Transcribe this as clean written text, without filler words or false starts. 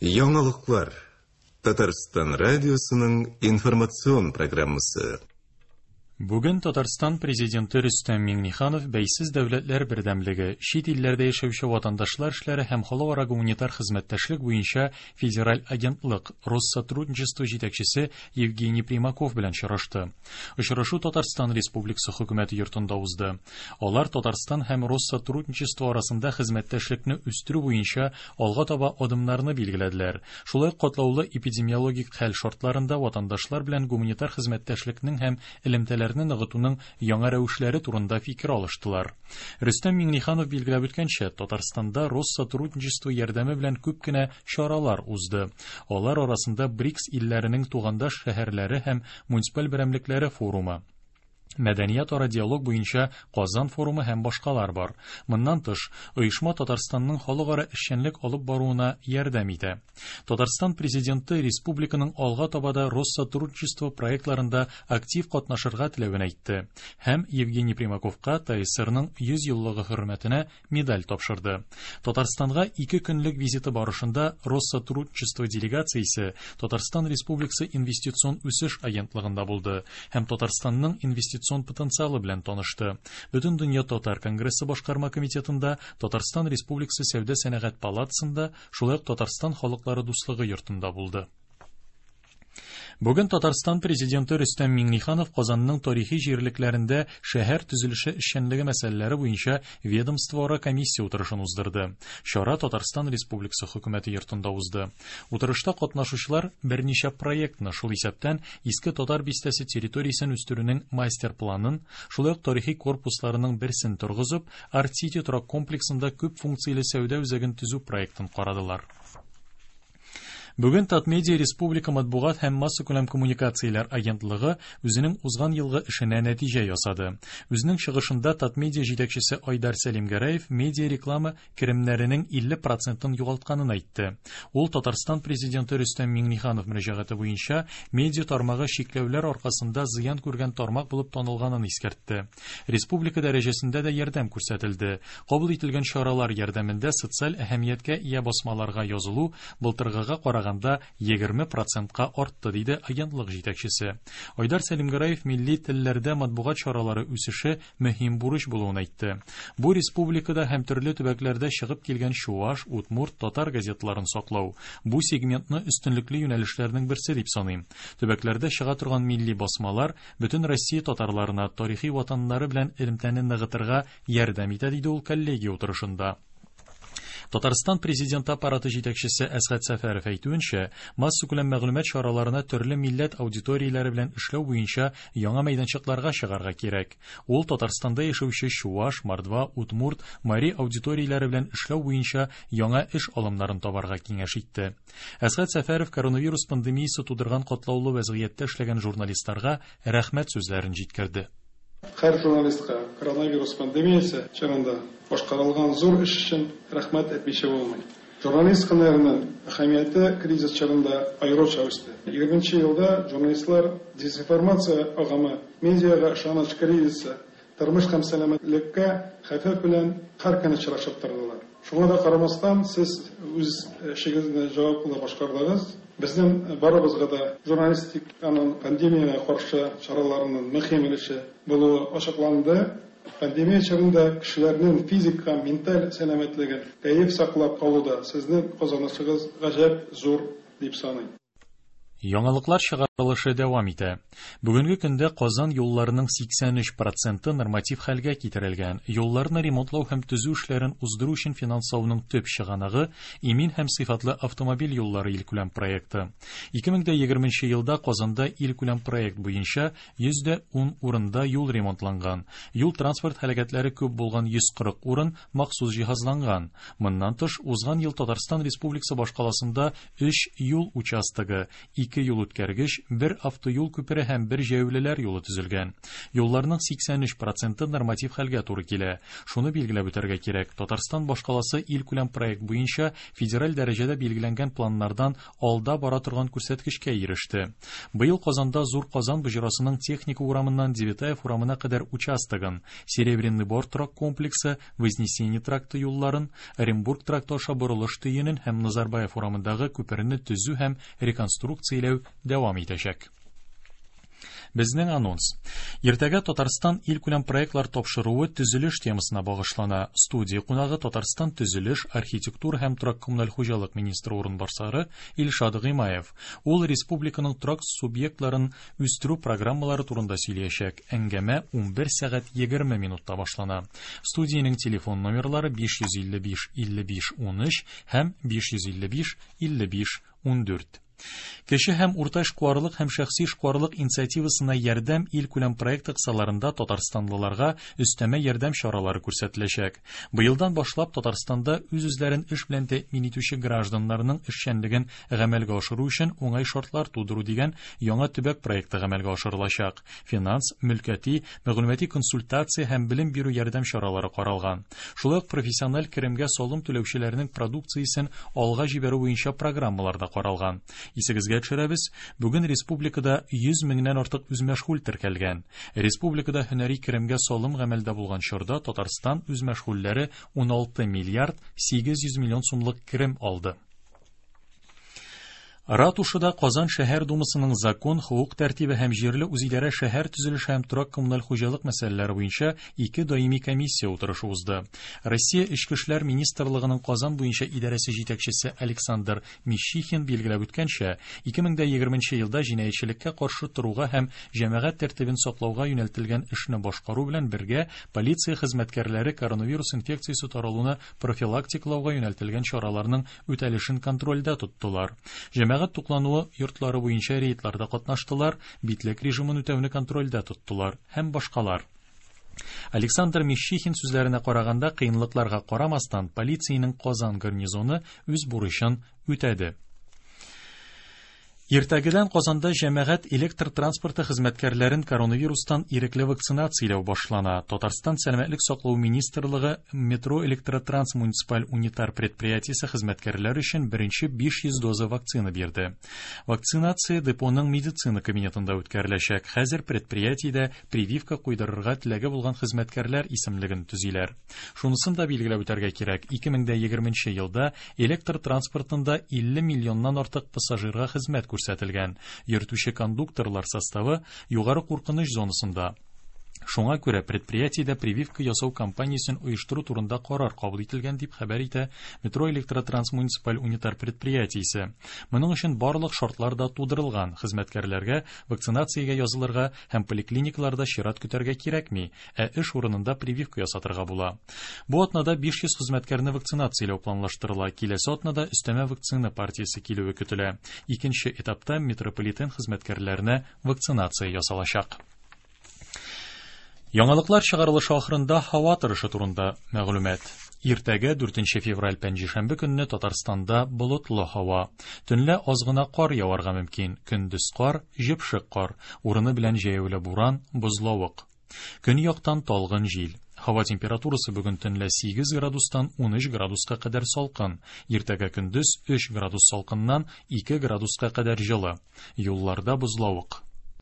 Яңалыклар. Татарстан радиосының информацион программасы. Бүген Татарстан Президенты Рөстәм Миңнеханов Бәйсез дәүләтләр бердәмлеге, чит илләрдә яшәүче ватандашлар эшләре һәм халыкара гуманитар хезмәттәшлек буенча федераль агентлык Россотрудничество җитәкчесе Евгений Примаков белән очрашты. Очрашу Татарстан Республикасы Хөкүмәте йортында узды. Алар Татарстан һәм Россотрудничество арасында хезмәттәшлекне үстерү буенча алга таба адымнарны билгеләделәр. Шулай ук катлаулы эпидемиологик хәл шартларында ватандашлар белән гуманитар хезмәттәшлекнең һәм элемтәләрне ныгытуның яңа рәвешләре турында фикер алыштылар. Рөстәм Миңнеханов билгеләп үткәнчә, Татарстанда Россотрудничество ярдәме белән күп кенә чаралар узды. Алар арасында БРИКС илләренең тугандаш шәһәрләре һәм муниципаль берәмлекләре форумы, мәдәниятара диалог буенча Казан форумы һәм башкалар бар. Моннан тыш, оешма Татарстанның халыкара эшчәнлек алып баруына ярдәм итә. Татарстан Президенты республиканың алга таба да Россотрудничество проектларында актив катнашырга теләвен әйтте һәм Евгений Примаковка ТАССРның 100 еллыгы хөрмәтенә медаль тапшырды. Татарстанга ике көнлек визиты барышында Россотрудничество делегациясе Татарстан Республикасы Инвестицион үсеш агентлыгында булды һәм Татарстанның инвестицион потенциалы белән танышты. Бөтендөнья татар конгрессы башкарма комитетында, Татарстан Республикасы Сәүдә-сәнәгать палатасында, шулай ук Татарстан халыклары дуслыгы йортында булды. Бүген Татарстан Президенты Рөстәм Миңнеханов Казанның тарихи җирлекләрендә шәһәр төзелеше эшчәнлеге мәсьәләләре буенча ведомствоара комиссия утырышын уздырды. Чара Татарстан Республикасы Хөкүмәте йортында узды. Утырышта катнашучылар берничә проектны, шул исәптән Иске Татар бистәсе территориясен үстерүнең мастер-планын, шулай ук тарихи корпусларының берсен торгызып, Арт-Сити торак комплексында күп функцияле сәүдә үзәген төзү проектын карадылар. Бүген Татмедиа республика матбугат һәм массакүләм коммуникацияләр агентлыгы үзенең узган елгы эшенә нәтиҗә ясады. Үзенең чыгышында Татмедиа җитәкчесе Айдар Сәлимгәрәев медиа реклама керемнәренең 50 процентын югалтканын әйтте. Ул Татарстан Президенты Рөстәм Миңнеханов мөрәҗәгате буенча медиа тармагы чикләүләр аркасында зыян күргән тармак булып танылганын искәртте. Республика дәрәҗәсендә дә ярдәм күрсәтелде. Кабул ителгән чаралар ярдәмендә социаль әһәмияткә ия басмаларга язылу былтыргыга караганда 20 процентка артты, диде агентлык җитәкчесе. Айдар Сәлимгәрәев милли телләрдә матбугат чаралары үсеше мөһим бурыч булуын әйтте. Бу республикада һәм төрле төбәкләрдә чыгып килгән чуаш, удмурт, татар газеталарын саклау. Бу сегментны өстенлекле юнәлешләрнең берсе дип саныйм. Төбәкләрдә чыга торган милли басмалар бөтен Россия татарларына тарихи ватаннары белән элемтәне ныгытырга ярдәм итә, диде ул коллегия утырышында. Татарстан Президенты аппараты җитәкчесе Әсгать Сәфәров әйтүенчә, массакүләм мәгълүмат чараларына төрле милләт аудиторияләре белән эшләү буенча яңа мәйданчыкларга чыгарга кирәк. Ул Татарстанда яшәүче чуаш, мордва, удмурт, мари аудиторияләре белән эшләү буенча яңа эш алымнарын табарга киңәш итте. Әсгать Сәфәров коронавирус пандемиясе тудырган катлаулы вәзгыятьтә эшләгән журналистларга рәхмәт сүзләрен җиткерде. Һәр журналистка коронавирус пандемиясе чорында башкарылган зур эш өчен рәхмәт әйтмичә булмый. Журналист һөнәренең әһәмияте кризис чорында аеруча үсте. Егерменче елда журналистлар дезинформация агымы, медиага ышаныч кризисы, тормыш һәм сәламәтлеккә хәвеф белән һәр көн очрашып тордылар. Шуңа да карамастан, сез үз эшегезне җаваплы башкардыгыз. Безнең барыбызга да журналистиканың пандемиягә каршы чараларының мөһим өлеше булуы ачыкланды. Пандемия чорында кешеләрнең физик һәм менталь сәламәтлеген, кәеф саклап калуда сезнең казанышыгыз гаҗәп зур, дип саныйм. Яңалыклар чыгарылышы дәвам итә. Бүгенге көндә Казан юлларының 83 проценты норматив хәлгә китерелгән. Юлларны ремонтлау һәм төзү эшләрен уздыру өчен финанслауның төп чыганагы, Имин һәм сыйфатлы автомобиль юллары илкүләм проекты. 2020 елда Казанда илкүләм проект буенча 110 урында юл ремонтланган. Юл-транспорт һәлакәтләре күп булган 140 урын махсус җиһазланган. Моннан тыш, узган ел Татарстан Республикасы башкаласында өч юл участогы, Ике юл үткәргеч, бер автоюл күпере һәм бер җәяүлеләр юлы төзелгән. Юлларның 83 проценты норматив хәлгә туры килә. Шуны билгеләп үтәргә кирәк, Татарстан башкаласы илкүләм проект буенча федераль дәрәҗәдә билгеләнгән планнардан алда бара торган күрсәткечкә иреште. Быел Казанда Зур Казан боҗрасының Техника урамыннан Девятаев урамына кадәр участогын, Серебряный Бор торак комплексы, Вознесение тракты юлларын, Оренбург тракты аша борылыш төенен һәм Назарбаев урамындагы күперне төзү һәм реконструкцияләү дәвам итәчәк. Безнең анонс. Иртәгә Татарстан илкүләм проектлар тапшыруы төзелеш темасына багышлана. Студия кунагы Татарстан төзелеш, архитектура һәм торак-коммуналь хуҗалык министры урынбасары Илшат Гыймаев. Ул республиканың торак субъектларын үстерү программалары турында сөйләячәк. Әңгәмә 11 сәгать 20 минутта башлана. Студиянең телефон номерлары 555 55 13 һәм 555 55 14. Кече һәм урта эшкуарлык һәм шәхси эшкуарлык инициативасына ярдәм илкүләм проекты кысаларында татарстанлыларга өстәмә ярдәм чаралары күрсәтеләчәк. Быелдан башлап Татарстанда үз-үзләрен эш белән тәэмин итүче гражданнарның эшчәнлеген гамәлгә ашыру өчен уңай шартлар тудыру дигән яңа төбәк проекты гамәлгә ашырылачак. Финанс, мөлкәти, мәгълүмати консультация һәм белем бирү ярдәм чаралары каралган. Шулай ук профессиональ керемгә салым түләүчеләрнең продукциясен алга җибәрү буенча программалар да каралган. Исегезгә төшерәбез, бүген республикада 100 меңнән артык үзмәшгуль теркәлгән. Республикада һөнәри керемгә салым гамәлдә булган чорда Татарстан үзмәшгульләре 16 миллиард 800 миллион сумлык керем алды. Ратушада Казан шәһәр думасының закон, хокук тәртибе һәм җирле үзидарә шәһәр төзелеше һәм торак-коммуналь хуҗалык мәсьәләләре буенча ике даими комиссия утырышы узды. Россия Эчке эшләр министрлыгының Казан буенча идарәсе җитәкчесе Александр Мищихин билгеләп үткәнчә, 2020 елда җинаятьчелеккә каршы торуга һәм җәмәгать тәртибен саклауга юнәлтелгән эшне башкару белән бергә полиция хезмәткәрләре коронавирус инфекциясе таралуны профилактикалауга юнәлтелгән чараларның үтәлешен контрольдә тоттылар. Җәмәгать туклануы йортлары буенча рейдларда катнаштылар, битлек режимын үтәүне контрольдә тоттылар һәм башкалар. Александр Мищихин сүзләренә караганда, кыенлыкларга карамастан, полициянең Казан гарнизоны үз бурычын үтәде. Иртәгедән Казанда җәмәгать электр транспорты хезмәткәрләрен коронавирустан ирекле вакцинацияләү башлана. Татарстан Сәламәтлек саклау министрлыгы Метро Электротранс муниципаль унитар предприятиесе хезмәткәрләр өчен беренче 500 доза вакцина бирде. Вакцинация депоның медицина кабинетында үткәреләчәк. Хәзер предприятиедә прививка куйдырырга теләге булган хезмәткәрләр исемлеген төзиләр. Шунысын да билгеләп үтәргә кирәк, 2020 елда электр транспортында 50 миллионнан артык пассажирга хезмәт күрсәтелгән. Йөртүче кондукторлар составы югары куркыныч зонасында. Шуңа күрә предприятиедә прививка ясау кампаниясен оештыру турында карар кабул ителгән, дип хәбәр итә Метро Электротранс муниципаль унитар предприятиесе. Моның өчен барлык шартлар да тудырылган. Хезмәткәрләргә вакцинациягә язылырга һәм поликлиникаларда чират көтәргә кирәкми, ә эш урынында прививка ясатырга була. Бу атнада 500 хезмәткәрне вакцинацияләү планлаштырыла. Киләсе атнада өстәмә вакцина партиясе килүе көтелә. Икенче этапта метрополитен хезмәткәрләренә вакцинация ясалачак. Яңалыклар чыгарылышы ахырында һава торышы турында мәгълүмат. Иртәгә 4 февраль пәнҗешәмбе көнне Татарстанда болытлы һава. Төнлә аз гына кар яварга мөмкин. Көндез кар, җепшек кар, урыны белән җәяүле буран, бозлавык. Көньяктан талгын җил. Һава температурасы бүген төнлә 8 градустан 13 градуска кадәр салкын. Иртәгә көндез 3 градус салкыннан 2 градуска кадәр җылы. Юлларда бозлавык.